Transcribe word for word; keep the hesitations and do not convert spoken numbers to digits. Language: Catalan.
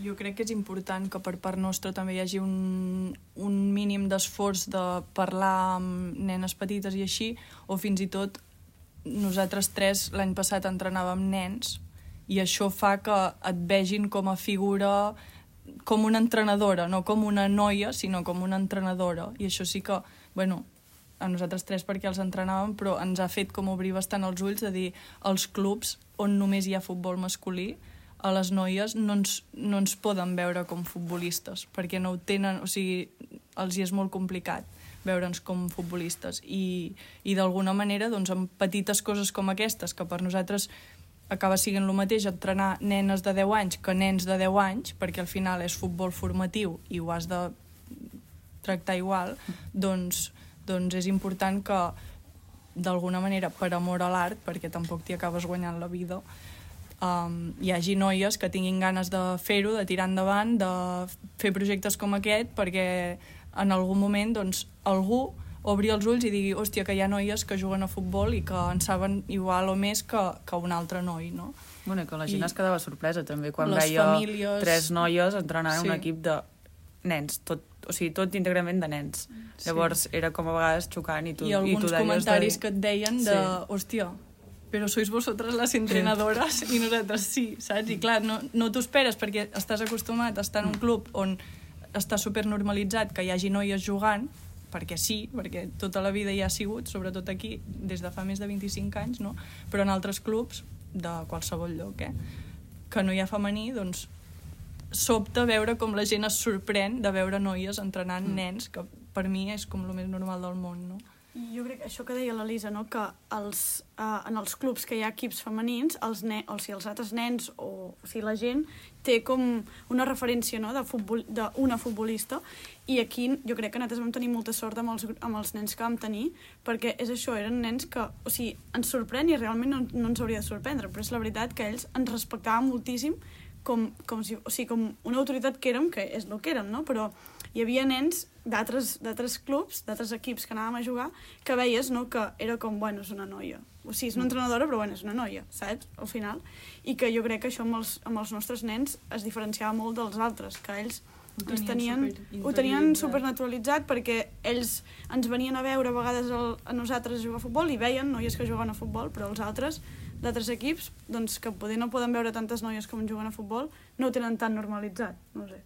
Jo crec que és important que per part nostra també hi hagi un, un mínim d'esforç de parlar amb nenes petites i així, o fins i tot nosaltres tres l'any passat entrenàvem nens i això fa que et vegin com a figura, com una entrenadora, no com una noia, sinó com una entrenadora. I això sí que, bueno, a nosaltres tres perquè els entrenàvem, però ens ha fet com obrir bastant els ulls de dir els clubs on només hi ha futbol masculí, a les noies no ens, no ens poden veure com futbolistes, perquè no ho tenen, o sigui, els hi és molt complicat veure'ns com futbolistes. I, i d'alguna manera, doncs, amb petites coses com aquestes, que per nosaltres acaba sent el mateix entrenar nenes de deu anys que nens de deu anys, perquè al final és futbol formatiu i ho has de tractar igual, doncs, doncs és important que, d'alguna manera, per amor a l'art, perquè tampoc t'hi acabes guanyant la vida, Um, hi hagi noies que tinguin ganes de fer-ho, de tirar endavant, de fer projectes com aquest, perquè en algun moment doncs, algú obri els ulls i digui, hòstia, que hi ha noies que juguen a futbol i que en saben igual o més que, que un altre noi, no? Bueno, que la gent I es quedava sorpresa també quan les veia famílies... tres noies entrenant sí. un equip de nens, tot, o sigui, tot íntegrament de nens. Sí. Llavors era com a vegades xocant i tu, I alguns i tu comentaris de... que et deien de, sí. hòstia, però sois vosotras les entrenadoras i nosaltres sí, saps? I clar, no, no t'ho esperes perquè estàs acostumat a estar en un club on està supernormalitzat que hi hagi noies jugant, perquè sí, perquè tota la vida hi ha sigut, sobretot aquí, des de fa més de vint-i-cinc anys, no? Però en altres clubs, de qualsevol lloc, eh? que no hi ha femení, doncs sobta veure com la gent es sorprèn de veure noies entrenant mm. nens, que per mi és com el més normal del món, no? Jo crec que això que deia l'Elisa, no? que els, uh, en els clubs que hi ha equips femenins, els, ne o sigui, els altres nens o, o sigui, la gent té com una referència, no? de futbol, d'una futbolista, i aquí jo crec que nosaltres vam tenir molta sort amb els, amb els nens que vam tenir, perquè és això, eren nens que, o sigui, ens sorprèn i realment no, no ens hauria de sorprendre, però és la veritat que ells ens respectaven moltíssim com, com, si, o sigui, com una autoritat que érem, que és el que érem, no? Però hi havia nens d'altres clubs, d'altres equips que anàvem a jugar, que veies, no?, que era com, bueno, és una noia. O sigui, és una entrenadora, però bueno, és una noia, saps? Al final. I que jo crec que això amb els, amb els nostres nens es diferenciava molt dels altres, que ells ho tenien, tenien, ho tenien supernaturalitzat perquè ells ens venien a veure a vegades el, a nosaltres jugar a futbol i veien noies que juguen a futbol, però els altres d'altres equips, doncs que poder no poden veure tantes noies com juguen a futbol, no ho tenen tan normalitzat, no sé.